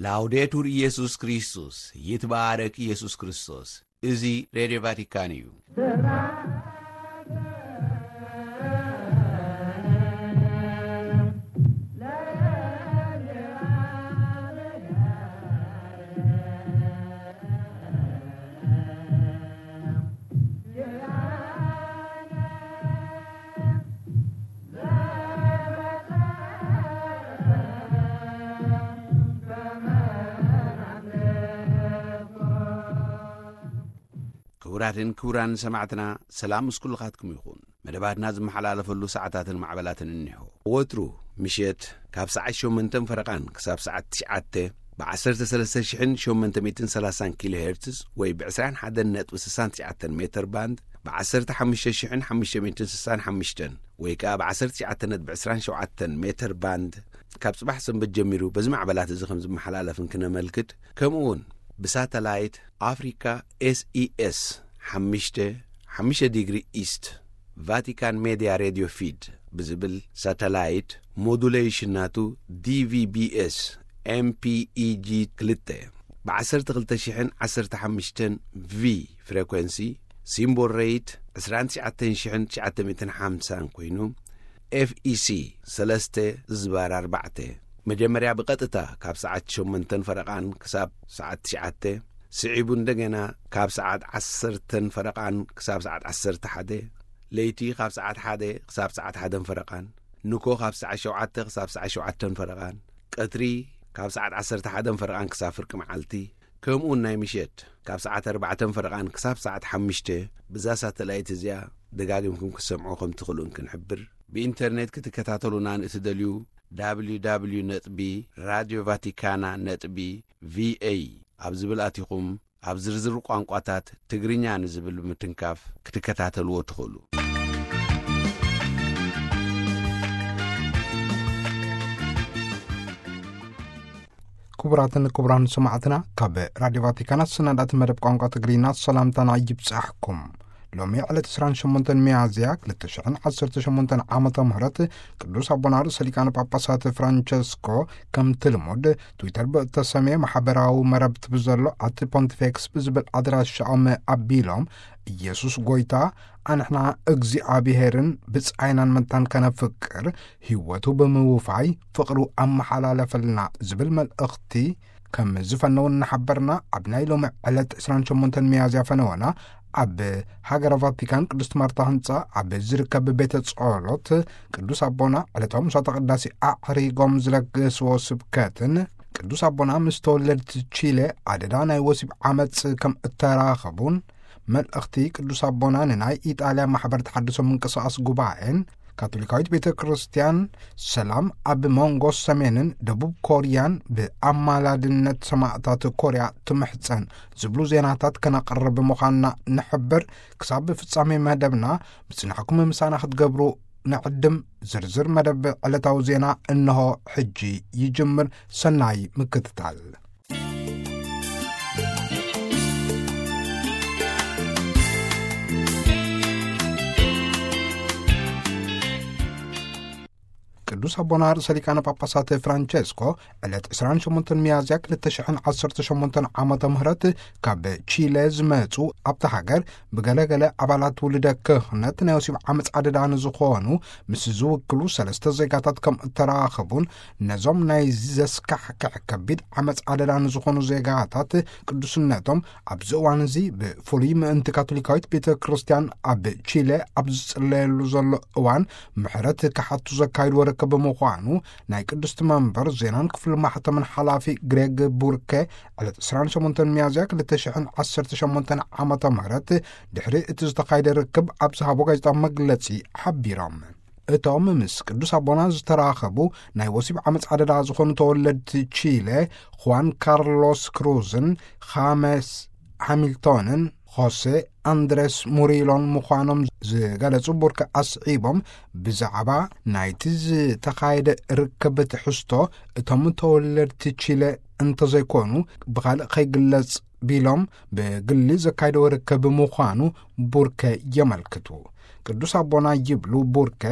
ላውዴቱር ኢየሱስ ክርስቶስ፣ ይትባረክ ኢየሱስ ክርስቶስ። እዚ ሬድዮ ቫቲካን እዩ። ክቡራትን ክቡራን ሰማዕትና፣ ሰላም ምስ ኩልኻትኩም ይኹን። መደባትና ዝመሓላለፈሉ ሰዓታትን ማዕበላትን እኒሆ። ወትሩ ምሸት ካብ ሰዓት ሸሞንተን ፈረቓን ክሳብ ሰዓት ትሽዓተ ብ ዓሰርተ ሰለስተ ሽሕን ሸሞንተ ሚእትን ሰላሳን ኪሎ ሄርትዝ ወይ ብ ዕስራን ሓደን ነጥቢ ስሳን ትሽዓተን ሜተር ባንድ፣ ብ ዓሰርተ ሓሙሽተ ሽሕን ሓሙሽተ ሚእትን ስሳን ሓሙሽተን ወይ ከኣ ብ ዓሰርተ ትሽዓተ ነጥቢ ዕስራን ሸውዓተን ሜተር ባንድ፣ ካብ ጽባሕ ሰንበት ጀሚሩ በዚ ማዕበላት እዚ ከም ዝመሓላለፍን ክነመልክት፣ ከምኡ እውን ብሳተላይት ኣፍሪካ ኤስኢኤስ ሓሙሽተ፣ ሓሙሽተ ዲግሪ ኢስት፣ ቫቲካን ሜድያ ሬድዮ ፊድ ብዝብል ሳተላይት፣ ሞዱሌሽን ናቱ ዲቪቢኤስ ኤምፒኢጂ ክልተ፣ ብ ዓሰርተ ክልተ ሽሕን ዓሰርተ ሓሙሽተን ቪ ፍሬኮንሲ፣ ሲምቦል ሬት ዕስራን ትሽዓተን ሽሕን ትሽዓተ ሚእትን ሓምሳን ኮይኑ፣ ኤፍኢሲ ሰለስተ ዝባር ኣርባዕተ፣ መጀመርያ ብቐጥታ ካብ ሰዓት ሸሞንተን ፈረቓን ክሳብ ሰዓት ትሽዓተ፣ ስዒቡ እንደገና ካብ ሰዓት ዓሰርተን ፈረቓን ክሳብ ሰዓት ዓሰርተ ሓደ፣ ለይቲ ካብ ሰዓት ሓደ ክሳብ ሰዓት ሓደን ፈረቓን፣ ንኮ ካብ ሰዓት ሸውዓተ ክሳብ ሰዓት ሸውዓተን ፈረቓን፣ ቀትሪ ካብ ሰዓት ዓሰርተ ሓደን ፈረቓን ክሳብ ፍርቂ መዓልቲ፣ ከምኡውን ናይ ምሸት ካብ ሰዓት ኣርባዕተን ፈረቓን ክሳብ ሰዓት ሓሙሽተ፣ ብዛ ሳተላይት እዚኣ ደጋጊምኩም ክትሰምዑ ከም ትኽእሉን ክንሕብር። ብኢንተርኔት ክትከታተሉና ንእትደልዩ፣ ደብሊው ደብሊው ደብሊው ነጥቢ ራድዮ ቫቲካና ነጥቢ ቪኤ ኣብ ዝብል ኣቲኹም፣ ኣብ ዝርዝር ቋንቋታት ትግርኛ ንዝብል ብምትንካፍ ክትከታተልዎ ትኽእሉ። ክቡራትን ክቡራን ሰማዕትና፣ ካብ ራድዮ ቫቲካን ኣሰናዳእቲ መደብ ቋንቋ ትግርኛ ሰላምታና ይብጻሕኩም። ሎሚ ዕለት ዕስራን ሸሞንተን ሚያዝያ ክልተ ሽሕን ዓሰርተ ሸሞንተን ዓመተ ምህረት ቅዱስ ኣቦና ርእሰ ሊቃነ ጳጳሳት ፍራንቸስኮ ከምቲ ልሙድ ትዊተር ብእተሰምየ ማሕበራዊ መረብቲ ብዘሎ ኣቲ ፖንቲፌክስ ብዝብል ኣድራሻኦም ኣቢሎም፣ ኢየሱስ ጐይታ፣ ኣንሕና እግዚኣብሔርን ብጻይናን መታን ከነፍቅር፣ ህይወቱ ብምውፋይ ፍቕሩ ኣመሓላለፈልና ዝብል መልእኽቲ ከም ዝፈነው እናሓበርና፣ ኣብ ናይ ሎሚ ዕለት ዕስራን ሸሞንተን ሚያዝያ ፈነወና ኣብ ሃገረ ቫቲካን ቅድስት ማርታ ህንጻ ኣብ ዝርከብ ቤተ ጸሎት ቅዱስ ኣቦና ዕለታዊ ምሳተ ቅዳሴ ኣዕሪጎም ዝለገስዎ ስብከትን፣ ቅዱስ ኣቦና ምስ ተወለድቲ ቺለ ኣደዳ ናይ ወሲብ ዓመጽ ከም እተራኸቡን፣ መልእኽቲ ቅዱስ ኣቦና ንናይ ኢጣልያ ማሕበር ተሓድሶ ምንቅስቓስ ጉባኤን፣ ካቶሊካዊት ቤተ ክርስቲያን ሰላም ኣብ መንጎ ሰሜንን ደቡብ ኮርያን ብኣማላድነት ሰማእታት ኮርያ ትምሕጸን ዝብሉ ዜናታት ከነቕርብ ምዃንና ንሕብር። ክሳብ ፍጻሜ መደብና ምጽናሕኩም ምሳና ክትገብሩ ንዕድም። ዝርዝር መደብ ዕለታዊ ዜና እንሆ ሕጂ ይጅምር። ሰናይ ምክትታል። ቅዱስ ኣቦና ርእሰ ሊቃነ ጳጳሳት ፍራንቸስኮ ዕለት ዕስራን ሸሞንተን ሚያዝያ ክልተ ሽሕን ዓሰርተ ሸሞንተን ዓመተ ምህረት ካብ ቺለ ዝመጹ፣ ኣብታ ሃገር ብገለገለ ኣባላት ውልደ ክህነት ናይ ወሲብ ዓመፅ ኣደዳ ንዝኾኑ ምስ ዝውክሉ ሰለስተ ዜጋታት ከም እተራኸቡን፣ ነዞም ናይ ዘስካሕክሕ ከቢድ ዓመፅ ኣደዳ ንዝኾኑ ዜጋታት ቅዱስነቶም ኣብዚ እዋን እዚ ብፍሉይ ምእንቲ ካቶሊካዊት ቤተ ክርስቲያን ኣብ ቺለ ኣብ ዝጽለየሉ ዘሎ እዋን ምሕረት ክሓቱ ዘካይድዎ ርክብ ብምዃኑ፣ ናይ ቅድስቲ መንበር ዜናን ክፍሊ ማሕተምን ሓላፊ ግሬግ ቡርከ ዕለት ዕስራን ሸሞንተን ሚያዝያ ክልተ ሽሕን ዓሰርተ ሸሞንተን ዓመተ ምህረት ድሕሪ እቲ ዝተኻየደ ርክብ ኣብ ዝሃቦ ጋዜጣዊ መግለጺ ሓቢሮም። እቶም ምስ ቅዱስ ኣቦና ዝተራኸቡ ናይ ወሲብ ዓመፅ ኣደዳ ዝኾኑ ተወለድቲ ቺለ፣ ኹዋን ካርሎስ ክሩዝን ኻመስ ሃሚልቶንን ሆሴ ኣንድሬስ ሙሪሎን ምዃኖም ዝገለጹ ቡርከ ኣስዒቦም፣ ብዛዕባ ናይቲ ዝተኻየደ ርክብ ትሕዝቶ እቶም ተወለድቲ ቺለ እንተዘይኮኑ ብኻልእ ከይግለጽ ቢሎም፣ ብግሊ ዘካየደዎ ርክብ ምዃኑ ቡርከ የመልክቱ። ቅዱስ ኣቦና ይብሉ ቡርከ፣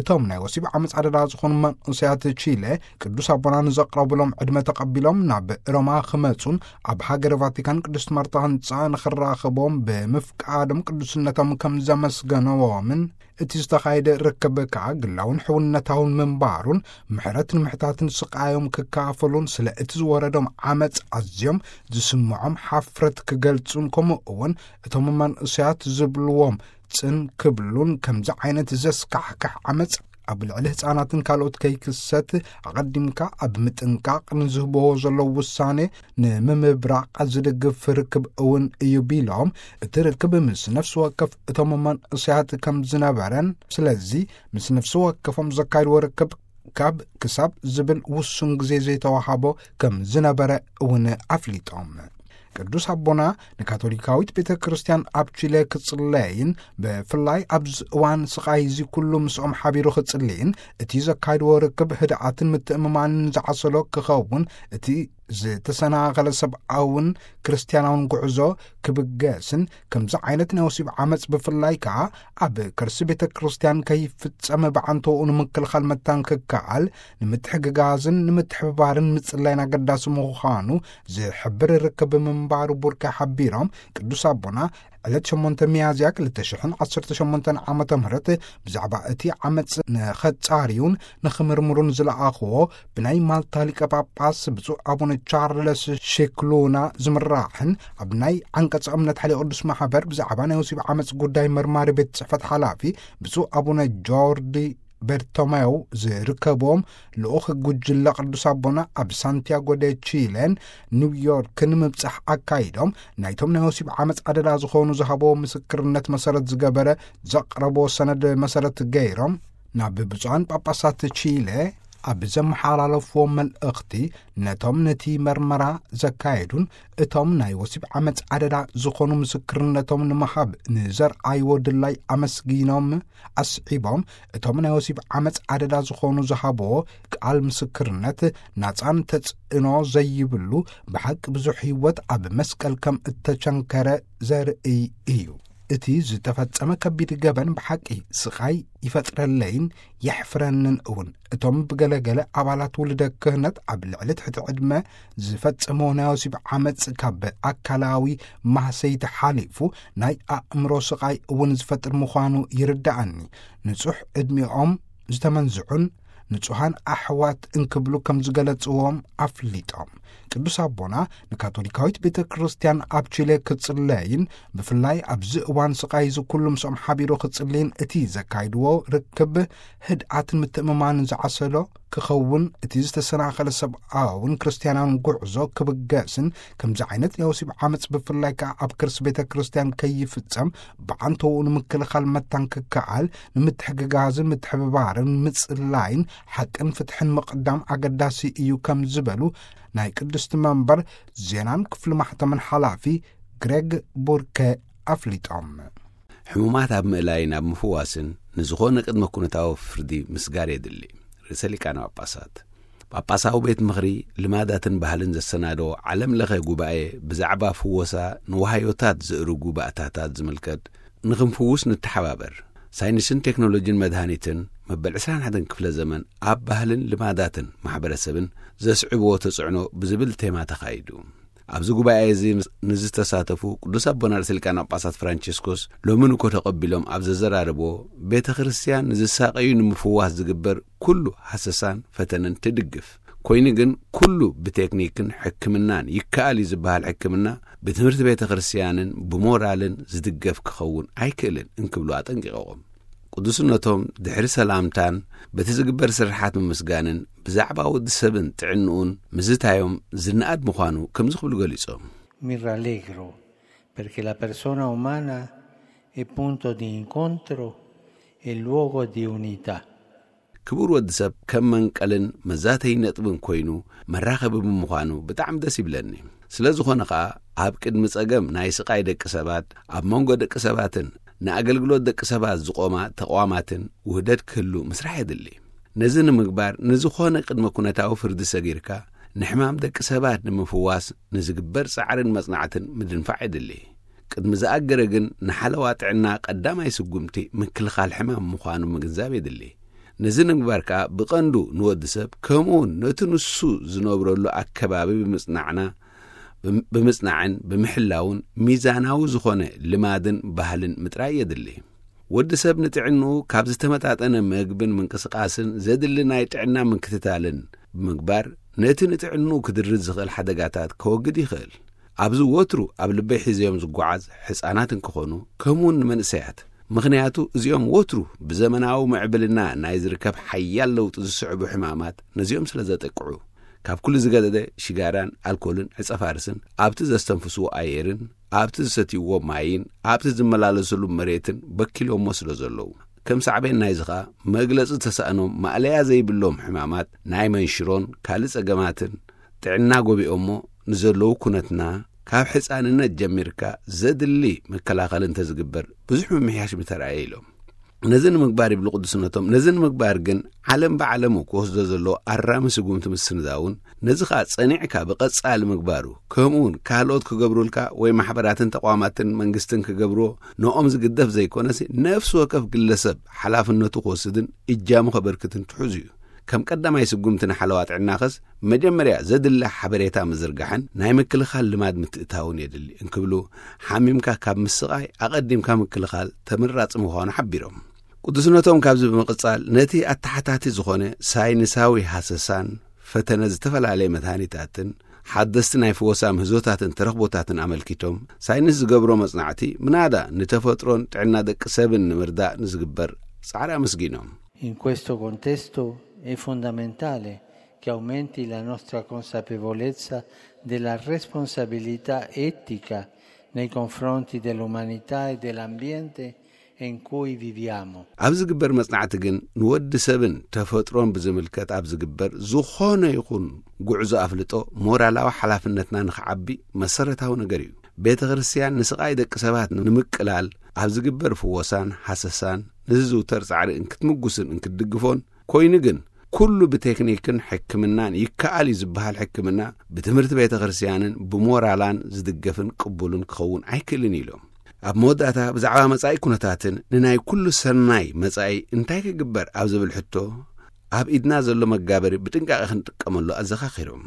እቶም ናይ ወሲብ ዓመፅ ኣደዳ ዝኾኑ መንእሰያት ቺለ ቅዱስ ኣቦና ንዘቕረቡሎም ዕድመ ተቐቢሎም ናብ ሮማ ክመፁን ኣብ ሃገረ ቫቲካን ቅድስት ማርታ ህንፃ ንኽራኸቦም ብምፍቃዶም ቅዱስነቶም ከም ዘመስገነዎምን እቲ ዝተኻየደ ርክብ ከዓ ግላውን ሕውነታውን ምንባሩን ምሕረት ንምሕታትን ስቃዮም ክካፈሉን ስለ እቲ ዝወረዶም ዓመፅ ኣዝዮም ዝስምዖም ሓፍረት ክገልጹን ከምኡ እውን እቶም መንእሰያት ዝብልዎም ጽን ክብሉን ከምዚ ዓይነት ዘስካሕክሕ ዓመፅ ኣብ ልዕሊ ህፃናትን ካልኦት ከይክሰት ኣቐዲምካ ኣብ ምጥንቃቕ ንዝህብዎ ዘለዉ ውሳኔ ንምምብራቕ ዝድግፍ ርክብ እውን እዩ ቢሎም፣ እቲ ርክብ ምስ ነፍሲ ወከፍ እቶም መንእሰያት ከም ዝነበረን ስለዚ ምስ ነፍሲ ወከፎም ዘካይድዎ ርክብ ካብ ክሳብ ዝብል ውሱን ግዜ ዘይተዋሃቦ ከም ዝነበረ እውን ኣፍሊጦም። ቅዱስ ኣቦና ንካቶሊካዊት ቤተ ክርስቲያን ኣብ ቺለ ክጽለይን ብፍላይ ኣብዚ እዋን ስቓይ እዚ ኩሉ ምስኦም ሓቢሩ ክጽልይን እቲ ዘካይድዎ ርክብ ህድኣትን ምትእምማንን ዝዓሰሎ ክኸውን እቲ ዝተሰናኸለ ሰብኣውን ክርስቲያናውን ጉዕዞ ክብገስን ከምዚ ዓይነት ናይ ወሲብ ዓመፅ ብፍላይ ከዓ ኣብ ከርሲ ቤተ ክርስቲያን ከይፍጸም ብዓንተውኡ ንምክልኻል መታን ክከኣል ንምትሕግጋዝን ንምትሕብባርን ምጽላይን ኣገዳሲ ምዃኑ ዝሕብር ርክብ ምንባሩ ቡርከ ሓቢሮም ቅዱስ ኣቦና ዕለት ሸሞንተ ሚያዝያ ክልተ ሽሕን ዓሰርተ ሸሞንተን ዓመተ ምህረት ብዛዕባ እቲ ዓመፅ ንኸጻርዩን ንኽምርምሩን ዝለኣኽዎ ብናይ ማልታ ሊቀ ጳጳስ ብፁዕ ኣቡነ ቻርለስ ሼክሉና ዝምራሕን ኣብ ናይ ዓንቀጸ እምነት ሓይለ ቅዱስ ማሕበር ብዛዕባ ናይ ወሲብ ዓመፅ ጉዳይ መርማሪ ቤት ጽሕፈት ሓላፊ ብፁዕ ኣቡነ ጆርዲ በርቶሜው ዝርከብዎም ልኡኽ ጉጅለ ቅዱስ ኣቦና ኣብ ሳንቲያጎ ደ ቺሌን ኒውዮርክን ምብጻሕ ኣካይዶም ናይቶም ናይ ወሲብ ዓመፅ ኣደዳ ዝኾኑ ዝሃቦ ምስክርነት መሰረት ዝገበረ ዘቕረቦ ሰነድ መሰረት ገይሮም ናብ ብፁዓን ጳጳሳት ቺለ ኣብ ዘመሓላለፍዎ መልእኽቲ ነቶም ነቲ መርመራ ዘካየዱን እቶም ናይ ወሲብ ዓመፅ ኣደዳ ዝኾኑ ምስክርነቶም ንምሃብ ንዘርኣይዎ ድላይ ኣመስጊኖም ኣስዒቦም እቶም ናይ ወሲብ ዓመፅ ኣደዳ ዝኾኑ ዝሃብዎ ቃል ምስክርነት ናፃን ተጽዕኖ ዘይብሉ ብሓቂ ብዙሕ ህይወት ኣብ መስቀል ከም እተቸንከረ ዘርእይ እዩ። እቲ ዝተፈጸመ ከቢድ ገበን ብሓቂ ስቓይ ይፈጥረለይን የሕፍረንን እውን። እቶም ብገለገለ ኣባላት ውልደ ክህነት ኣብ ልዕሊ ትሕቲ ዕድመ ዝፈጸመዎ ናይ ወሲብ ዓመጽ ካብ ኣካላዊ ማህሰይቲ ሓሊፉ ናይ ኣእምሮ ስቓይ እውን ዝፈጥር ምዃኑ ይርድኣኒ። ንጹሕ ዕድሚኦም ዝተመንዝዑን ንጹሃን ኣሕዋት እንክብሉ ከም ዝገለጽዎም ኣፍሊጦም። ቅዱስ ኣቦና ንካቶሊካዊት ቤተ ክርስቲያን ኣብ ቺለ ክጽለይን ብፍላይ ኣብዚ እዋን ስቓይ እዚ ኩሉ ምስኦም ሓቢሩ ክጽልይን እቲ ዘካይድዎ ርክብ ህድኣትን ምትእምማንን ዝዓሰሎ ክኸውን እቲ ዝተሰናኸለ ሰብኣውን ክርስቲያናውን ጉዕዞ ክብገስን ከምዚ ዓይነት ናይ ወሲብ ዓመፅ ብፍላይ ከዓ ኣብ ክርስ ቤተ ክርስቲያን ከይፍጸም ብዓንተውኡ ንምክልኻል መታን ክከኣል ንምትሕግጋዝን ምትሕብባርን ምጽላይን ሓቅን ፍትሕን ምቕዳም ኣገዳሲ እዩ ከም ዝበሉ ናይ ቅድስቲ መንበር ዜናን ክፍሊ ማሕተምን ሓላፊ ግሬግ ቡርከ ኣፍሊጦም። ሕሙማት ኣብ ምእላይን ኣብ ምፍዋስን ንዝኾነ ቅድመ ኩነታዊ ፍርዲ ምስጋር የድሊ። ርእሰ ሊቃነ ጳጳሳት ጳጳሳዊ ቤት ምኽሪ ልማዳትን ባህልን ዘሰናደዎ ዓለም ለኸ ጉባኤ ብዛዕባ ፍወሳ ንዋህዮታት ዝእርጉ ባእታታት ዝምልከት ንኽንፍውስ ንተሓባበር። ሳይንስን ቴክኖሎጂን መድሃኒትን መበል ዕስራን ሓደን ክፍለ ዘመን ኣብ ባህልን ልማዳትን ማሕበረሰብን ዘስዕብዎ ተጽዕኖ ብዝብል ቴማ ተኻይዱ። ኣብዚ ጉባኤ እዚ ንዝተሳተፉ ቅዱስ ኣቦና ርእሰ ሊቃነ ጳጳሳት ፍራንቸስኮስ ሎሚ ንኮ ተቐቢሎም ኣብ ዘዘራረብዎ ቤተ ክርስቲያን ንዝሳቐዩ ንምፍዋስ ዝግበር ኩሉ ሃሰሳን ፈተነን ትድግፍ። ኮይኑ ግን ኩሉ ብቴክኒክን ሕክምናን ይከኣል እዩ ዝበሃል ሕክምና ብትምህርቲ ቤተ ክርስቲያንን ብሞራልን ዝድገፍ ክኸውን ኣይክእልን እንክብሉ ኣጠንቂቖም። ቅዱስነቶም ድሕሪ ሰላምታን በቲ ዝግበር ስርሓት ምምስጋንን ብዛዕባ ወዲ ሰብን ጥዕንኡን ምዝታዮም ዝነኣድ ምዃኑ ከምዚ ክብሉ ገሊጾም። Mi rallegro perché la persona umana è punto di incontro e luogo di unità. ክቡር ወዲ ሰብ ከም መንቀልን መዛተይ ነጥብን ኮይኑ መራኸቢ ብምዃኑ ብጣዕሚ ደስ ይብለኒ። ስለ ዝኾነ ኸኣ ኣብ ቅድሚ ጸገም ናይ ስቓይ ደቂ ሰባት ኣብ መንጎ ደቂ ሰባትን ንኣገልግሎት ደቂ ሰባት ዝቖማ ተቕዋማትን ውህደት ክህሉ ምስራሕ የድሊ። ነዚ ንምግባር ንዝኾነ ቅድመ ኩነታዊ ፍርዲ ሰጊርካ ንሕማም ደቂ ሰባት ንምፍዋስ ንዝግበር ጻዕርን መጽናዕትን ምድንፋዕ የድሊ። ቅድሚ ዝኣገረ ግን ንሓለዋ ጥዕና ቀዳማይ ስጉምቲ ምክልኻል ሕማም ምዃኑ ምግንዛብ የድሊ። ነዚ ንምግባር ከኣ ብቐንዱ ንወዲ ሰብ ከምኡውን ነቲ ንሱ ዝነብረሉ ኣከባቢ ብምጽናዕና፣ ብም-፣ ብምጽናዕን ብምሕላውን ሚዛናዊ ዝኾነ ልማድን ባህልን ምጥራይ የድሊ። ወዲ ሰብ ንጥዕንኡ ካብ ዝተመጣጠነ መግብን ምንቅስቃስን ዘድሊ ናይ ጥዕና ምክትታልን ብምግባር ነቲ ንጥዕንኡ ክድርዝ ዝኽእል ሓደጋታት ከወግድ ይኽእል። ኣብዚ ወትሩ ኣብ ልበይ ሒዘዮም ዝጓዓዝ ሕፃናት እንክኾኑ ከምኡውን ንመንእሰያት፣ ምኽንያቱ እዚኦም ወትሩ ብዘመናዊ ምዕብልና ናይ ዝርከብ ሓያል ለውጢ ዝስዕቡ ሕማማት ነዚኦም ስለ ዘጠቅዑ። ካብ ኩሉ ዝገደደ ሽጋራን ኣልኮልን ዕጸ ፋርስን ኣብቲ ዘስተንፍስዎ ኣየርን ኣብቲ ዝሰትይዎ ማይን ኣብቲ ዝመላለስሉ መሬትን በኪሎሞ ስለ ዘለዉ። ከም ሳዕቤን ናይዚ ኸኣ መግለጺ ዝተሳእኖም ማእለያ ዘይብሎም ሕማማት ናይ መንሽሮን ካልእ ጸገማትን ጥዕና ጎቢኦሞ ንዘለዉ ኩነትና ካብ ሕፃንነት ጀሚርካ ዘድሊ መከላኸሊ እንተዝግበር ብዙሕ ምምሕያሽ ምተራእየ ኢሎም። ነዚ ንምግባር ይብሉ ቅዱስነቶም፣ ነዚ ንምግባር ግን ዓለም ብዓለሙ ክወስዶ ዘለዎ ኣራሚ ስጉምቲ ምስንዛውን ነዚ ኸኣ ጸኒዕካ ብቐጻሊ ምግባሩ ከምኡውን ካልኦት ክገብሩልካ ወይ ማሕበራትን ተቋማትን መንግስትን ክገብርዎ ንኦም ዝግደፍ ዘይኮነሲ ነፍሲ ወከፍ ግለሰብ ሓላፍነቱ ክወስድን እጃሙ ከበርክትን ትሑዝ እዩ። ከም ቀዳማይ ስጉምቲ ንሓለዋ ጥዕናኸስ መጀመርያ ዘድሊ ሓበሬታ ምዝርጋሕን ናይ ምክልኻል ልማድ ምትእታውን የድሊ እንክብሉ፣ ሓሚምካ ካብ ምስቓይ ኣቐዲምካ ምክልኻል ተመራጺ ምዃኑ ሓቢሮም። ቅዱስነቶም ካብዚ ብምቕጻል ነቲ ኣተሓታቲ ዝኾነ ሳይንሳዊ ሃሰሳን ፈተነ ዝተፈላለየ መድሃኒታትን ሓደስቲ ናይ ፍወሳ ምህዞታትን ተረኽቦታትን ኣመልኪቶም ሳይንስ ዝገብሮ መጽናዕቲ ምናዳ ንተፈጥሮን ጥዕና ደቂ ሰብን ንምርዳእ ንዝግበር ጻዕሪ ኣመስጊኖም። In questo contesto è fondamentale che aumenti la nostra consapevolezza della responsabilità etica nei confronti dell'umanità e dell'ambiente in cui viviamo. ኣብ ዝግበር መጽናዕቲ ግን ንወዲ ሰብን ተፈጥሮን ብዝምልከት ኣብ ዝግበር ዝኾነ ይኹን ጉዕዞ ኣፍልጦ ሞራላዊ ሓላፍነትና ንኽዓቢ መሰረታዊ ነገር እዩ። ቤተ ክርስቲያን ንስቓይ ደቂ ሰባት ንምቅላል ኣብ ዝግበር ፍወሳን ሃሰሳን ንዝዝውተር ጻዕሪ እንክትምጉስን እንክትድግፎን ኮይኑ ግን ኩሉ ብቴክኒክን ሕክምናን ይከኣል እዩ ዝበሃል ሕክምና ብትምህርቲ ቤተ ክርስቲያንን ብሞራላን ዝድገፍን ቅቡልን ክኸውን ኣይክእልን ኢሎም። ኣብ መወዳእታ ብዛዕባ መጻኢ ኩነታትን ንናይ ኩሉ ሰናይ መጻኢ እንታይ ክግበር ኣብ ዝብል ሕቶ ኣብ ኢድና ዘሎ መጋበሪ ብጥንቃቐ ክንጥቀመሉ ኣዘኻኺሮም።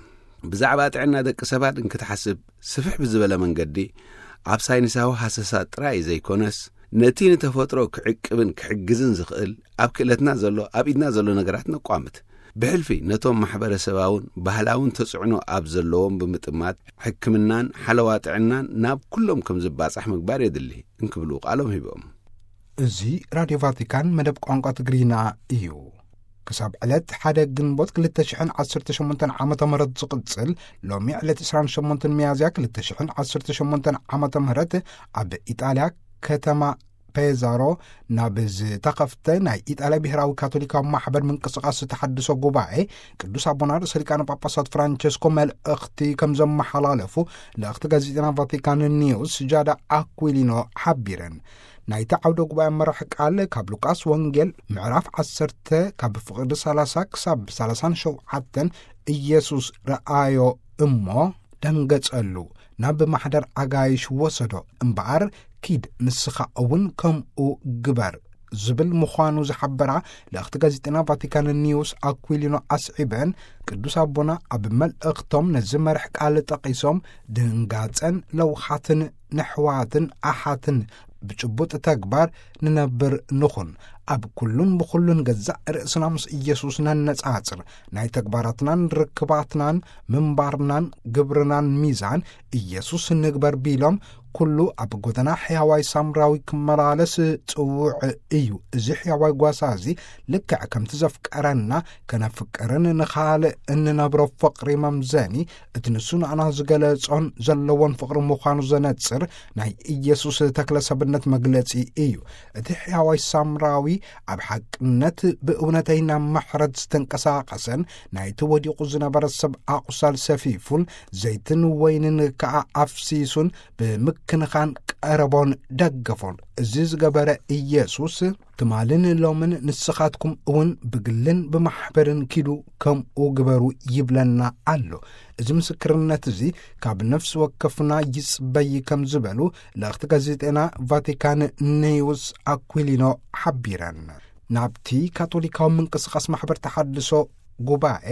ብዛዕባ ጥዕና ደቂ ሰባት እንክትሓስብ ስፍሕ ብዝበለ መንገዲ ኣብ ሳይንሳዊ ሃሰሳ ጥራይ ዘይኮነስ ነቲ ንተፈጥሮ ክዕቅብን ክሕግዝን ዝኽእል ኣብ ክእለትና ዘሎ ኣብ ኢድና ዘሎ ነገራት ነቋምት። ብሕልፊ ነቶም ማሕበረሰባውን ባህላውን ተጽዕኖ ኣብ ዘለዎም ብምጥማት ሕክምናን ሓለዋ ጥዕናን ናብ ኩሎም ከም ዝባጻሕ ምግባር የድሊ እንክብሉ ቃሎም ሂቦም። እዚ ራድዮ ቫቲካን መደብ ቋንቋ ትግርኛ እዩ። ክሳብ ዕለት ሓደ ግንቦት ክልተ ሽሕን ዓሰርተ ሸሞንተን ዓመተ ምህረት ዝቕጽል ሎሚ ዕለት ዕስራን ሸሞንተን ሚያዝያ ክልተ ሽሕን ዓሰርተ ሸሞንተን ዓመተ ምህረት ኣብ ኢጣልያ ከተማ ፔዛሮ ናብ ዝተኸፍተ ናይ ኢጣልያ ብሔራዊ ካቶሊካዊ ማሕበር ምንቅስቃስ ተሓድሶ ጉባኤ ቅዱስ ኣቦና ርእሰ ሊቃነ ጳጳሳት ፍራንቸስኮ መልእኽቲ ከም ዘመሓላለፉ ልእኽቲ ጋዜጠና ቫቲካን ኒውስ ጃዳ ኣኩሊኖ ሓቢረን። ናይቲ ዓውደ ጉባኤ መራሕ ቃል ካብ ሉቃስ ወንጌል ምዕራፍ ዓሰርተ ካብ ፍቕዲ ሰላሳ ክሳብ ሰላሳን ሸውዓተን ኢየሱስ ረኣዮ እሞ ደንገጸሉ፣ ናብ ማሕደር ኣጋይሽ ወሰዶ እምበኣር ኪድ ንስኻ እውን ከምኡ ግበር ዝብል ምዃኑ ዝሓበራ ልእኽቲ ጋዜጠና ቫቲካን ኒውስ ኣኩሊኖ ኣስዒበን ቅዱስ ኣቦና ኣብ መልእኽቶም ነዚ መርሕ ቃል ጠቒሶም ድንጋጸን ለውሃትን ነሕዋትን ኣሓትን ብጭቡጥ ተግባር ንነብር ንኹን። ኣብ ኩሉን ብኹሉን ገዛእ ርእስና ምስ ኢየሱስ ነነጻጽር። ናይ ተግባራትናን ርክባትናን ምንባርናን ግብርናን ሚዛን ኢየሱስ ንግበር ቢሎም ኩሉ ኣብ ጎደና ሕያዋይ ሳምራዊ ክመላለስ ጽውዕ እዩ። እዚ ሕያዋይ ጓሳ እዚ ልክዕ ከምቲ ዘፍቀረና ከነፍቅርን ንኻልእ እንነብሮ ፍቕሪ መምዘኒ እቲ ንሱ ንኣና ዝገለጾን ዘለዎን ፍቕሪ ምዃኑ ዘነጽር ናይ ኢየሱስ ተክለ ሰብነት መግለጺ እዩ። እቲ ሕያዋይ ሳምራዊ ኣብ ሓቅነት ብእውነተይና ምሕረት ዝተንቀሳቐሰን ናይቲ ወዲቑ ዝነበረ ሰብ ኣቑሳል ሰፊፉን ዘይትን ወይንን ከኣ ኣፍሲሱን ብምክ ክንኻን ቀረቦን ደገፎን። እዚ ዝገበረ ኢየሱስ፣ ትማልን ሎምን ንስኻትኩም እውን ብግልን ብማሕበርን ኪዱ ከምኡ ግበሩ ይብለና ኣሎ። እዚ ምስክርነት እዚ ካብ ነፍሲ ወከፍና ይጽበይ ከም ዝበሉ ልእኽቲ ጋዜጤና ቫቲካን ኒውስ ኣኩሊኖ ሓቢረን። ናብቲ ካቶሊካዊ ምንቅስቓስ ማሕበር ተሓድሶ ጉባኤ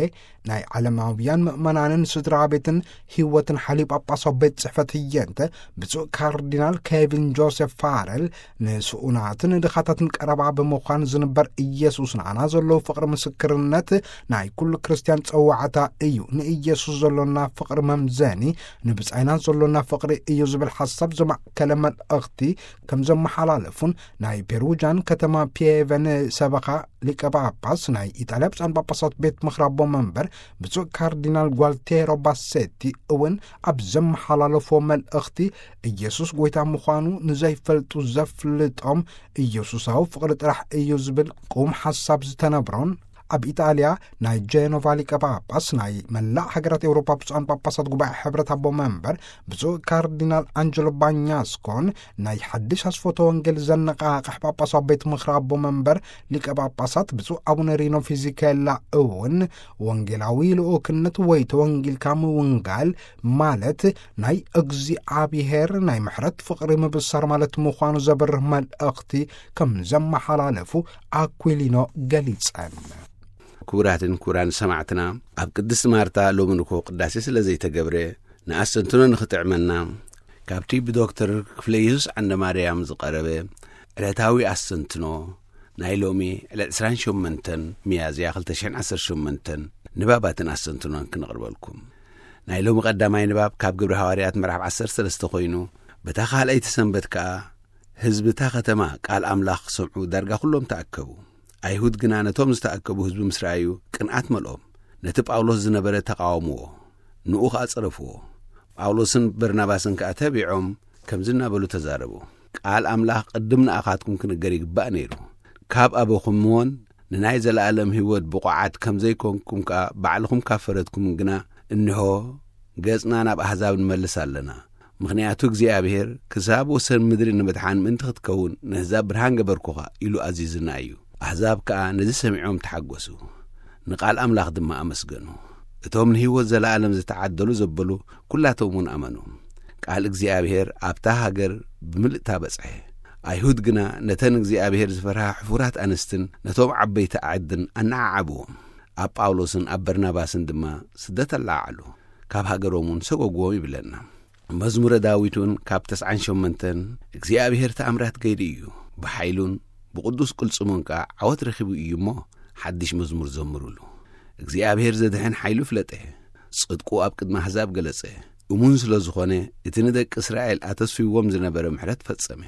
ናይ ዓለማውያን ምእመናንን ስድራ ቤትን ህይወትን ሓልዩ ጳጳሳዊ ቤት ጽሕፈት ህየንተ ብፁዕ ካርዲናል ኬቪን ጆሴፍ ፋረል፣ ንስኡናትን ድኻታትን ቀረባ ብምዃን ዝንበር ኢየሱስ ንዓና ዘለዎ ፍቕሪ ምስክርነት ናይ ኩሉ ክርስትያን ጸዋዕታ እዩ። ንኢየሱስ ዘሎና ፍቕሪ መምዘኒ ንብጻይና ዘሎና ፍቕሪ እዩ ዝብል ሓሳብ ዘማእከለ መልእኽቲ ከም ዘመሓላለፉን ናይ ፔሩጃን ከተማ ፒየቨን ሰበኻ ሊቀ ጳጳስ ናይ ኢጣልያ ብፁዓን ጳጳሳት ቤት ምኽሪ ኣቦ መንበር ብፁዕ ካርዲናል ጓልቴሮ ባሴቲ እውን ኣብ ዘመሓላለፎ መልእኽቲ፣ ኢየሱስ ጐይታ ምዃኑ ንዘይፈልጡ ዘፍልጦም ኢየሱሳዊ ፍቕሪ ጥራሕ እዩ ዝብል ቁም ሓሳብ ዝተነብሮን፣ ኣብ ኢጣልያ ናይ ጄኖቫ ሊቀ ጳጳስ ናይ መላእ ሃገራት ኤውሮጳ ብፁዓን ጳጳሳት ጉባኤ ሕብረት ኣቦ መንበር ብፁዕ ካርዲናል ኣንጀሎ ባኛስኮን ናይ ሓድሽ ኣስፎተ ወንጌል ዘነቓቕሕ ጳጳሳዊ ቤት ምኽሪ ኣቦ መንበር ሊቀ ጳጳሳት ብፁዕ ኣቡነ ሪኖ ፊዚኬላ እውን ወንጌላዊ ልኡክነት ወይ ተወንጊልካ ምውንጋል ማለት ናይ እግዚኣብሔር ናይ ምሕረት ፍቕሪ ምብሳር ማለት ምዃኑ ዘብርህ መልእኽቲ ከም ዘመሓላለፉ ኣኩሊኖ ገሊጸን። ክቡራትን ክቡራን ሰማዕትና፣ ኣብ ቅድስቲ ማርታ ሎሚ ንግሆ ቅዳሴ ስለ ዘይተገብረ፣ ንኣስተንትኖ ንኽጥዕመና፣ ካብቲ ብዶክተር ክፍለ የሱስ ዓንደ ማርያም ዝቐረበ ዕለታዊ ኣስተንትኖ ናይ ሎሚ ዕለት ዕስራን ሸሞንተን ሚያዝያ ክልተ ሽሕን ዓሰርተ ሸሞንተን ንባባትን ኣስተንትኖን ክነቕርበልኩም። ናይ ሎሚ ቀዳማይ ንባብ ካብ ግብሪ ሃዋርያት ምዕራፍ ዓሰርተ ሰለስተ ኮይኑ፣ በታ ካልኣይቲ ሰንበት ከኣ ህዝቢ እታ ኸተማ ቃል ኣምላኽ ክሰምዑ ዳርጋ ኵሎም ተኣከቡ። ኣይሁድ ግና ነቶም ዝተኣከቡ ህዝቢ ምስ ረኣዩ ቅንኣት መልኦም። ነቲ ጳውሎስ ዝነበረ ተቓወምዎ፣ ንኡ ኸኣ ጸረፍዎ። ጳውሎስን በርናባስን ከኣ ተቢዖም ከምዚ እናበሉ ተዛረቡ፣ "ቃል ኣምላኽ ቅድም ንኣኻትኩም ክንገር ይግባእ ነይሩ። ካብ ኣበኹምዎን ንናይ ዘለኣለም ህይወት ብቑዓት ከም ዘይኮንኩም ከኣ ባዕልኹም ካብ ፈረድኩም ግና፣ እንሆ፣ ገጽና ናብ ኣህዛብ ንመልስ ኣለና። ምኽንያቱ እግዚኣብሔር ክሳብ ወሰን ምድሪ ንምድሓን ምእንቲ ክትከውን ንህዛብ ብርሃን ገበርኩኻ ኢሉ ኣዚዝና እዩ። ኣህዛብ ከኣ ነዚ ሰሚዖም ተሓጎሱ፣ ንቓል ኣምላኽ ድማ ኣመስገኑ። እቶም ንህይወት ዘለኣለም ዝተዓደሉ ዘበሉ ኩላቶም እውን ኣመኑ። ቃል እግዚኣብሔር ኣብታ ሃገር ብምልእታ በጽሐ። ኣይሁድ ግና ነተን እግዚኣብሔር ዝፈርሃ ሕፉራት ኣንስትን ነቶም ዓበይቲ ኣዕድን ኣነዓዓብዎም። ኣብ ጳውሎስን ኣብ በርናባስን ድማ ስደት ኣለዓዓሉ፣ ካብ ሃገሮም እውን ሰጎግዎም" ይብለና። መዝሙረ ዳዊት እውን ካብ ተስዓን ሸሞንተን፣ "እግዚኣብሔር ተኣምራት ገይሩ እዩ፣ ብሓይሉን ብቕዱስ ቅልጽሙን ከኣ ዓወት ረኺቡ እዩ እሞ፣ ሓድሽ መዝሙር ዘምሩሉ። እግዚኣብሔር ዘድሕን ሓይሉ ፍለጠ፣ ጽድቁ ኣብ ቅድሚ ኣህዛብ ገለጸ። እሙን ስለ ዝኾነ፣ እቲ ንደቂ እስራኤል ኣተስፊዎም ዝነበረ ምሕረት ፈጸመ።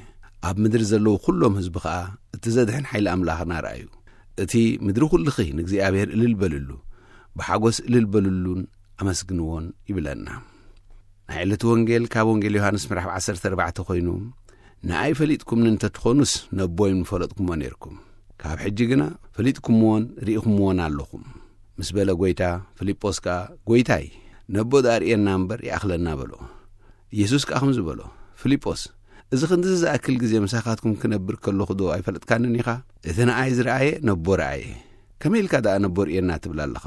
ኣብ ምድሪ ዘለዉ ኩሎም ህዝቢ ኸኣ እቲ ዘድሕን ሓይሊ ኣምላኽና ረኣዩ። እቲ ምድሪ ኩልኺ ንእግዚኣብሔር እልል በልሉ፣ ብሓጎስ እልል በልሉን ኣመስግንዎን" ይብለና። ናይ ዕለቱ ወንጌል ካብ ወንጌል ዮሃንስ ምዕራፍ ዓሰርተ ኣርባዕተ ኮይኑ፣ "ንኣይ ፈሊጥኩምኒ እንተትኾኑስ ነቦይ ምፈለጥኩሞ ነይርኩም። ካብ ሕጂ ግና ፈሊጥኩምዎን ርኢኹምዎን ኣለኹም" ምስ በለ፣ ጐይታ ፊልጶስ ከኣ፣ "ጐይታይ፣ ነቦ ደኣ ርእየና እምበር ይኣኽለና" በሎ። ኢየሱስ ከኣ ከምዚ በሎ፣ "ፊልጶስ፣ እዚ ክንድዚ ዝኣክል ግዜ ምሳኻትኩም ክነብር ከለኹ ዶ ኣይፈለጥካንን ኢኻ? እቲ ንኣይ ዝረኣየ ነቦ ረኣየ። ከመይ ኢልካ ደኣ ነቦ ርእየና ትብል ኣለኻ?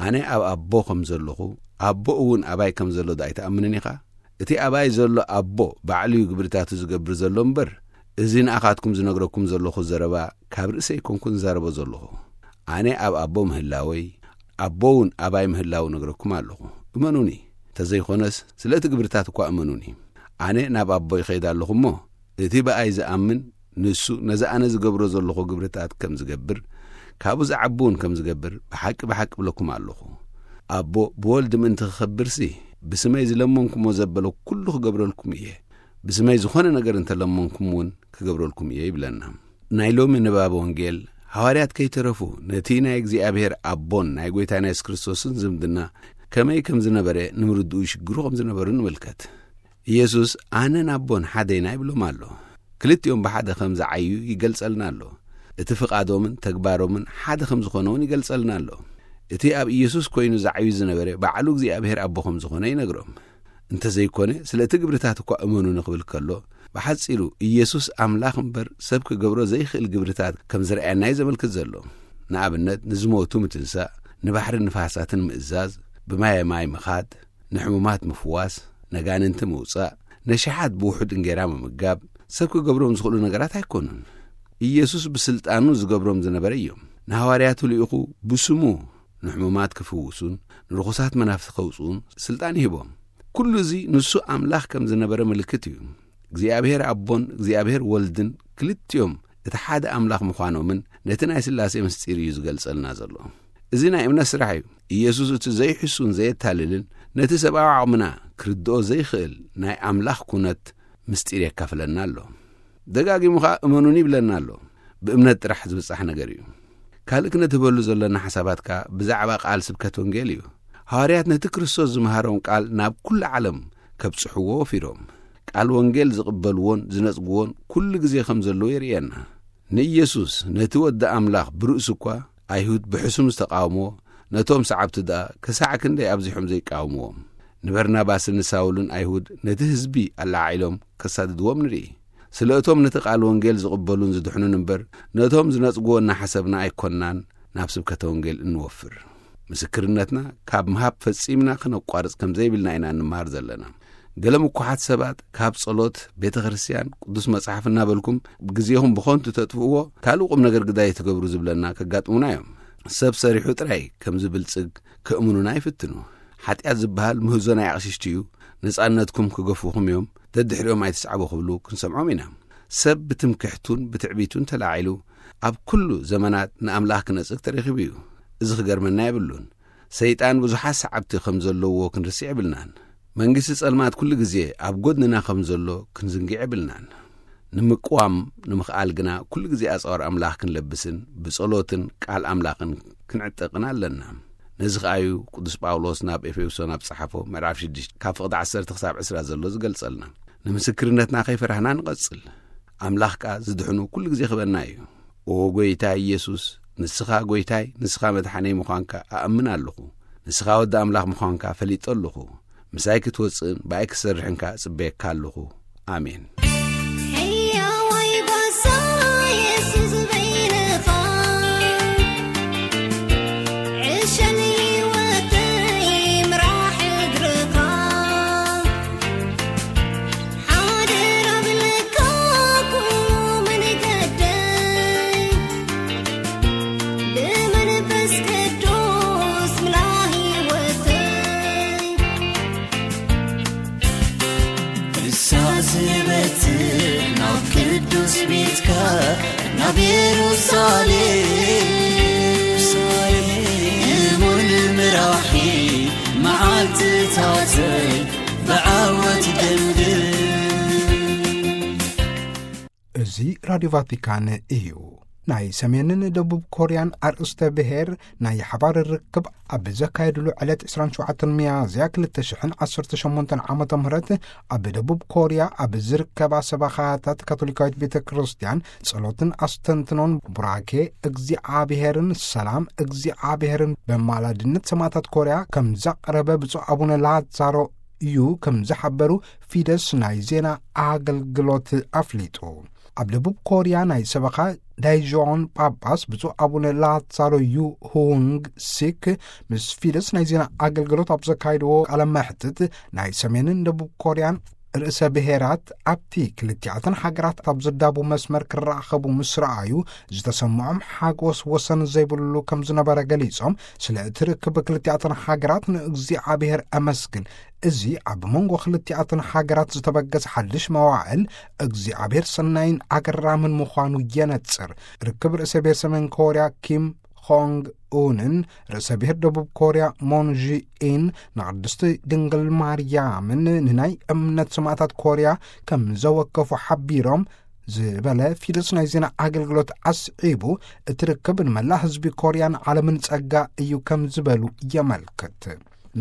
ኣነ ኣብ ኣቦ ከም ዘለኹ፣ ኣቦ እውን ኣባይ ከም ዘሎ ዶ ኣይትኣምንን ኢኻ? እቲ ኣባይ ዘሎ ኣቦ ባዕሉ እዩ ግብርታቱ ዝገብር ዘሎ እምበር፣ እዚ ንኣኻትኩም ዝነግረኩም ዘለኹ ዘረባ ካብ ርእሰይ ኣይኮንኩን ዝዛረቦ ዘለኹ። ኣነ ኣብ ኣቦ ምህላወይ፣ ኣቦ እውን ኣባይ ምህላው ነግረኩም ኣለኹ። እመኑኒ። እንተዘይኮነስ፣ ስለ እቲ ግብርታት እኳ እመኑኒ። ኣነ ናብ ኣቦ ይኸይድ ኣለኹ እሞ፣ እቲ ብኣይ ዝኣምን፣ ንሱ ነዚ ኣነ ዝገብሮ ዘለኹ ግብርታት ከም ዝገብር፣ ካብኡ ዝዓቢ እውን ከም ዝገብር፣ ብሓቂ፣ ብሓቂ እብለኩም ኣለኹ። ኣቦ ብወልድ ምእንቲ ክኸብርሲ፣ ብስመይ ዝለመንኩሞ ዘበለ ኩሉ ክገብረልኩም እየ። ብስመይ ዝኾነ ነገር እንተለመንኩም እውን ክገብረልኩም እየ" ይብለና። ናይ ሎሚ ንባብ ወንጌል፣ ሃዋርያት ከይተረፉ ነቲ ናይ እግዚኣብሔር ኣቦን ናይ ጐይታና የሱስ ክርስቶስን ዝምድና ከመይ ከም ዝነበረ ንምርድኡ ይሽግሩ ከም ዝነበሩ ንምልከት። ኢየሱስ "ኣነን ኣቦን ሓደ ኢና" ይብሎም ኣሎ። ክልቲኦም ብሓደ ከም ዝዓዩ ይገልጸልና ኣሎ። እቲ ፍቓዶምን ተግባሮምን ሓደ ከም ዝኾነ እውን ይገልጸልና ኣሎ። እቲ ኣብ ኢየሱስ ኮይኑ ዝዓዩ ዝነበረ ባዕሉ እግዚኣብሔር ኣቦ ከም ዝኾነ ይነግሮም። እንተዘይኮነ፣ ስለ እቲ ግብርታት እኳ እመኑ ንኽብል ከሎ፣ ብሓጺሩ ኢየሱስ ኣምላኽ እምበር ሰብ ክገብሮ ዘይኽእል ግብርታት ከም ዝረኣየና እዩ ዘመልክት ዘሎ። ንኣብነት፣ ንዝሞቱ ምትንሳእ፣ ንባሕርን ንፋሳትን ምእዛዝ፣ ብማየ ማይ ምኻድ፣ ንሕሙማት ምፍዋስ፣ ነጋንንቲ ምውጻእ፣ ነሽሓት ብውሑድ እንጌራ ምምጋብ፣ ሰብ ክገብሮም ዝኽእሉ ነገራት ኣይኮኑን። ኢየሱስ ብስልጣኑ ዝገብሮም ዝነበረ እዮም። ንሃዋርያቱ ልኢኹ ብስሙ ንሕሙማት ክፍውሱን ንርኹሳት መናፍስቲ ከውጽኡን ስልጣን ይህቦም። ኩሉ እዚ ንሱ ኣምላኽ ከም ዝነበረ ምልክት እዩ። እግዚኣብሔር ኣቦን እግዚኣብሔር ወልድን ክልቲኦም እቲ ሓደ ኣምላኽ ምዃኖምን ነቲ ናይ ስላሴ ምስጢር እዩ ዝገልጸልና ዘሎ። እዚ ናይ እምነት ስራሕ እዩ። ኢየሱስ እቲ ዘይሕሱን ዘየታልልን ነቲ ሰብኣዊ ዓቕምና ክርድኦ ዘይኽእል ናይ ኣምላኽ ኩነት ምስጢር የካፍለና ኣሎ። ደጋጊሙ ኸኣ እመኑኒ ይብለና ኣሎ። ብእምነት ጥራሕ ዝብጻሕ ነገር እዩ። ካልእ ክነትህበሉ ዘለና ሓሳባት ከኣ ብዛዕባ ቃል ስብከት ወንጌል እዩ። ሃዋርያት ነቲ ክርስቶስ ዝመሃሮም ቃል ናብ ኩሉ ዓለም ከብጽሕዎ ወፊሮም። ቃል ወንጌል ዝቕበልዎን ዝነጽግዎን ኩሉ ግዜ ከም ዘለዉ የርእየና። ንኢየሱስ ነቲ ወዲ ኣምላኽ ብርእሱ እኳ ኣይሁድ ብሕሱም ዝተቃወምዎ፣ ነቶም ሰዓብቲ ደኣ ክሳዕ ክንደይ ኣብዚሖም ዘይቃወምዎም። ንበርናባስን ንሳውልን ኣይሁድ ነቲ ህዝቢ ኣላዓዒሎም ከሳድድዎም ንርኢ። ስለ እቶም ነቲ ቃል ወንጌል ዝቕበሉን ዝድሕኑን እምበር፣ ነቶም ዝነጽግዎ እናሓሰብና ኣይኮንናን ናብ ስብከተ ወንጌል እንወፍር። ምስክርነትና ካብ ምሃብ ፈጺምና ክነቋርጽ ከም ዘይብልና ኢና እንመሃር ዘለና። ገለ ምኩሓት ሰባት ካብ ጸሎት፣ ቤተ ክርስቲያን፣ ቅዱስ መጽሓፍ እናበልኩም ግዜኹም ብኸንቱ ተጥፍእዎ፣ ካልእ ቁም ነገር ግዳይ ትገብሩ ዝብለና ከጋጥሙና እዮም። ሰብ ሰሪሑ ጥራይ ከም ዝብልጽግ ከእምኑና ይፍትኑ። ሓጢኣት ዝበሃል ምህዞ ናይ ኣቕሽሽቲ እዩ፣ ነጻነትኩም ክገፉኹም እዮም፣ ደድሕሪኦም ኣይትስዓቡ ክብሉ ክንሰምዖም ኢና። ሰብ ብትምክሕቱን ብትዕቢቱን ተላዒሉ ኣብ ኩሉ ዘመናት ንኣምላኽ ክነጽግ ተረኺቡ እዩ። እዚ ክገርመና የብሉን። ሰይጣን ብዙሓት ሰዓብቲ ከም ዘለዎ ክንርስዕ የብልናን። መንግስቲ ጸልማት ኩሉ ግዜ ኣብ ጎድንና ከም ዘሎ ክንዝንግዕ የብልናን። ንምቅዋም ንምኽኣል ግና ኩሉ ግዜ ኣጽዋር ኣምላኽ ክንለብስን ብጸሎትን ቃል ኣምላኽን ክንዕጠቕን ኣለና። ነዚ ኸኣዩ ቅዱስ ጳውሎስ ናብ ኤፌሶን ኣብ ጸሓፎ ምዕራፍ ሽዱሽተ ካብ ፍቕዲ ዓሰርተ ክሳብ ዕስራ ዘሎ ዝገልጸልና። ንምስክርነትና ከይፈራህና ንቐጽል። ኣምላኽ ከኣ ዝድሕኑ ኩሉ ግዜ ክበና እዩ። ኦ ጐይታይ ኢየሱስ፣ ንስኻ ጐይታይ፣ ንስኻ መድሓነይ ምዃንካ ኣእምን ኣለኹ። ንስኻ ወዲ ኣምላኽ ምዃንካ ፈሊጠ ኣለኹ። ምሳይ ክትወጽእን ብኣይ ክትሰርሕን ከኣ እጽበየካ ኣለኹ። ኣሜን። ሕያዋይ ባሳ የሱስ በይንኻ፣ ዕሸል ህይወተይ ምራሕ እግርኻ። ሓደራ ብለካ ኩሉ መንገደይ፣ ብመንፈስ ቅዱስ ምላ ህይወተይ። ንሳ ዝበትር ናብ ቅዱስ ቤትካ፣ ናብ የሩሳሌም፣ እሙን ምራሒ መዓልትታተይ ብዓወት ደምድም። እዚ ራድዮ ቫቲካን እዩ። ናይ ሰሜንን ደቡብ ኮርያን ኣርእስተ ብሔር ናይ ሓባር ርክብ ኣብ ዘካየድሉ ዕለት ዕስራን ሸውዓተን ሚያዝያ ክልተ ሽሕን ዓሰርተ ሸሞንተን ዓመተ ምህረት ኣብ ደቡብ ኮርያ ኣብ ዝርከባ ሰበኻታት ካቶሊካዊት ቤተ ክርስቲያን ጸሎትን ኣስተንትኖን ቡራኬ እግዚኣብሔርን ሰላም እግዚኣብሔርን በማላድነት ሰማዕታት ኮርያ ከም ዘቕረበ ብፁዕ ኣቡነ ላዛሮ እዩ ከም ዝሓበሩ ፊደስ ናይ ዜና ኣገልግሎት ኣፍሊጡ። ኣብ ደቡብ ኮርያ ናይ ሰበኻ ዳይጆን ጳጳስ ብፁዕ ኣቡነ ላዛሮ ዩ ሁንግ ሲክ ምስ ፊደስ ናይ ዜና ኣገልግሎት ኣብ ዘካየድዎ ቃለ መሕትት ናይ ሰሜንን ደቡብ ኮርያን ርእሰ ብሔራት ኣብቲ ክልቲኣተን ሃገራት ኣብ ዘዳቡ መስመር ክራኸቡ ምስ ረኣዩ ዝተሰምዖም ሓጎስ ወሰን ዘይብሉ ከም ዝነበረ ገሊጾም፣ ስለ እቲ ርክብ ክልቲኣተን ሃገራት ንእግዚኣብሔር ኣመስግን። እዚ ኣብ መንጎ ክልቲኣተን ሃገራት ዝተበገሰ ሓድሽ መዋዕል እግዚኣብሔር ሰናይን ኣገራምን ምዃኑ የነጽር። ርክብ ርእሰ ብሔር ሰሜን ኮርያ ኪም ኾንግ ኡንን ርእሰ ብሔር ደቡብ ኮርያ ሞን ዢ ኢን ንቅድስቲ ድንግል ማርያምን ንናይ እምነት ሰማዕታት ኮርያ ከም ዘወከፉ ሓቢሮም ዝበለ ፊደስ ናይ ዜና ኣገልግሎት ኣስዒቡ፣ እቲ ርክብ ንመላእ ህዝቢ ኮርያን ዓለምን ጸጋ እዩ ከም ዝበሉ የመልክት።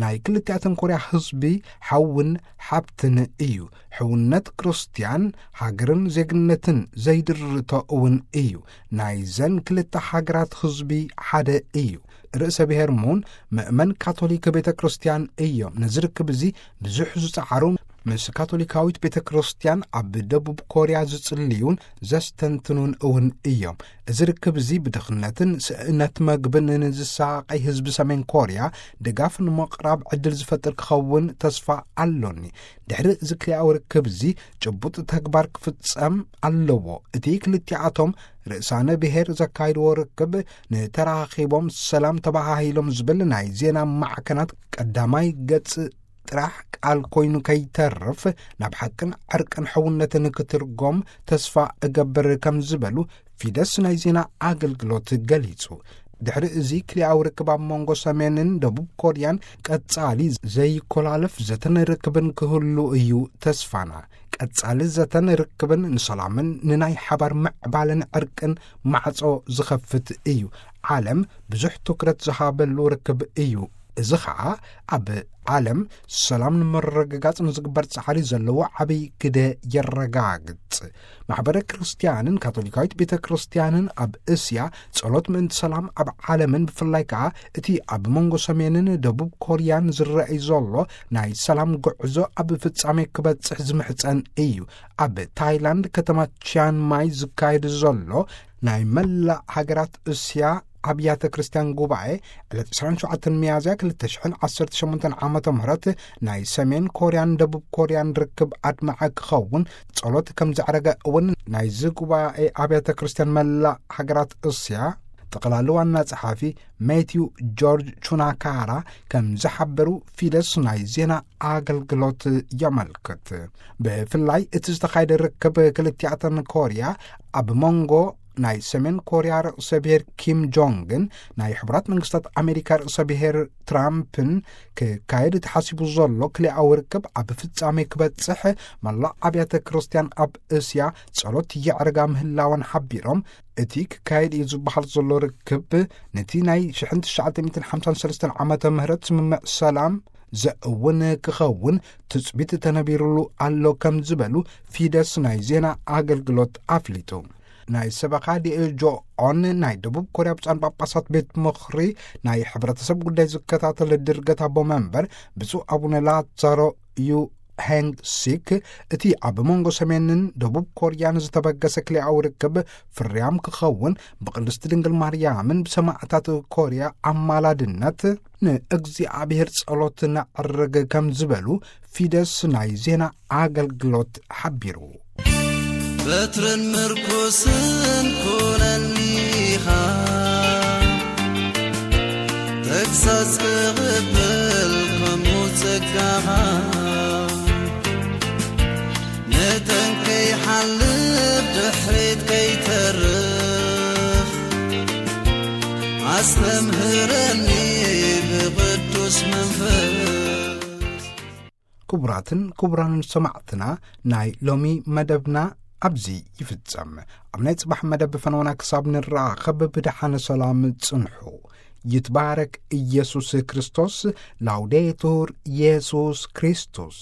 ናይ ክልቲኣተን ኮርያ ህዝቢ ሓውን ሓብትን እዩ። ሕውነት ክርስትያን ሃገርን ዜግነትን ዘይድርቶ እውን እዩ። ናይዘን ክልተ ሃገራት ህዝቢ ሓደ እዩ። ርእሰ ብሔር ሙን ምእመን ካቶሊክ ቤተ ክርስቲያን እዮም። ነዚ ርክብ እዚ ብዙሕ ዝጸዓሩ፣ ምስ ካቶሊካዊት ቤተ ክርስቲያን ኣብ ደቡብ ኮርያ ዝጽልዩን ዘስተንትኑን እውን እዮም። እዚ ርክብ እዚ ብድኽነትን ስእነት መግብን ንዝሳቐይ ህዝቢ ሰሜን ኮርያ ድጋፍ ንምቕራብ ዕድል ዝፈጥር ክኸውን ተስፋ ኣሎኒ። ድሕሪ እዚ ክልኣዊ ርክብ እዚ ጭቡጥ ተግባር ክፍጸም ኣለዎ። እቲ ክልቲኣቶም ርእሳነ ብሔር ዘካይድዎ ርክብ ንተራኺቦም ሰላም ተባሃሂሎም ዝብል ናይ ዜና ማዕከናት ቀዳማይ ገጽ ጥራሕ ቃል ኮይኑ ከይተርፍ፣ ናብ ሓቅን ዕርቅን ሕውነትን ክትርጎም ተስፋ እገብር ከም ዝበሉ ፊደስ ናይ ዜና ኣገልግሎት ገሊጹ። ድሕሪ እዚ ክልኣዊ ርክብ ኣብ መንጎ ሰሜንን ደቡብ ኮርያን ቀጻሊ ዘይኮላለፍ ዘተን ርክብን ክህሉ እዩ ተስፋና። ቀጻሊ ዘተን ርክብን ንሰላምን ንናይ ሓባር ምዕባለን ዕርቅን ማዕጾ ዝኸፍት እዩ። ዓለም ብዙሕ ትኩረት ዝሃበሉ ርክብ እዩ። እዚ ኸኣ ኣብ ዓለም ሰላም ንምርግጋጽ ንዝግበር ጻዕሪ ዘለዎ ዓብይ ግደ የረጋግጽ። ማሕበረ ክርስትያንን ካቶሊካዊት ቤተ ክርስትያንን ኣብ እስያ ጸሎት ምእንቲ ሰላም ኣብ ዓለምን ብፍላይ ከኣ እቲ ኣብ መንጎ ሰሜንን ደቡብ ኮርያን ዝረኣይ ዘሎ ናይ ሰላም ጉዕዞ ኣብ ፍጻሜ ክበጽሕ ዝምሕጸን እዩ። ኣብ ታይላንድ ከተማ ቺያን ማይ ዝካየድ ዘሎ ናይ መላእ ሃገራት እስያ ኣብያተ ክርስቲያን ጉባኤ ዕለት ዕስራን ሸውዓተን ሚያዝያ ክልተ ሽሕን ዓሰርተ ሸሞንተን ዓመተ ምህረት ናይ ሰሜን ኮርያን ደቡብ ኮርያን ርክብ ኣድማዒ ክኸውን ጸሎት ከም ዘዕረገ እውን ናይዚ ጉባኤ ኣብያተ ክርስቲያን መላእ ሃገራት እስያ ጠቕላሊ ዋና ጸሓፊ ሜትዩ ጆርጅ ቹናካራ ከም ዝሓበሩ ፊደስ ናይ ዜና ኣገልግሎት የመልክት። ብፍላይ እቲ ዝተኻየደ ርክብ ክልቲኣተን ኮርያ ኣብ መንጎ ናይ ሰሜን ኮርያ ርእሰ ብሔር ኪም ጆንግን ናይ ሕቡራት መንግስታት ኣሜሪካ ርእሰ ብሔር ትራምፕን ክካየድ ተሓሲቡ ዘሎ ክልኣዊ ርክብ ኣብ ፍጻሜ ክበጽሕ መላእ ኣብያተ ክርስቲያን ኣብ እስያ ጸሎት የዕርጋ ምህላወን ሓቢሮም፣ እቲ ክካየድ እዩ ዝበሃል ዘሎ ርክብ ነቲ ናይ ሽሕን ትሽዓተ ሚእትን ሓምሳን ሰለስተን ዓመተ ምህረት ስምምዕ ሰላም ዘእውን ክኸውን ትጽቢት ተነቢሩሉ ኣሎ ከም ዝበሉ ፊደስ ናይ ዜና ኣገልግሎት ኣፍሊጡ። ናይ ሰበኻ ዲኤጆ ኦን ናይ ደቡብ ኮርያ ብፁዓን ጳጳሳት ቤት ምኽሪ ናይ ሕብረተሰብ ጉዳይ ዝከታተል ድርገት ኣቦ መንበር ብፁዕ ኣቡነ ላዛሮ ዩ ሄንግ ሲክ፣ እቲ ኣብ መንጎ ሰሜንን ደቡብ ኮርያን ዝተበገሰ ክልኣዊ ርክብ ፍርያም ክኸውን ብቅድስቲ ድንግል ማርያምን ብሰማዕታት ኮርያ ኣማላድነት ንእግዚኣብሔር ጸሎት ነዕርግ ከም ዝበሉ ፊደስ ናይ ዜና ኣገልግሎት ሓቢሩ። በትርን ምርኩስን ኩነኒኻ፣ ተግሳጽ ክቕበል ከምኡ ጸጋኻ፣ መጠን ከይሓልፍ ድሕሪት ከይተርፍ፣ ኣስተምህረኒ ብቕዱስ መንፈስ። ክቡራትን ክቡራንን ሰማዕትና፣ ናይ ሎሚ መደብና ኣብዚ ይፍጸም። ኣብ ናይ ጽባሕ መደብ ፈነወና ክሳብ ንራኸብ ብደሓነ ሰላም ጽንሑ። ይትባረክ ኢየሱስ ክርስቶስ። ላውዴቱር ኢየሱስ ክርስቶስ።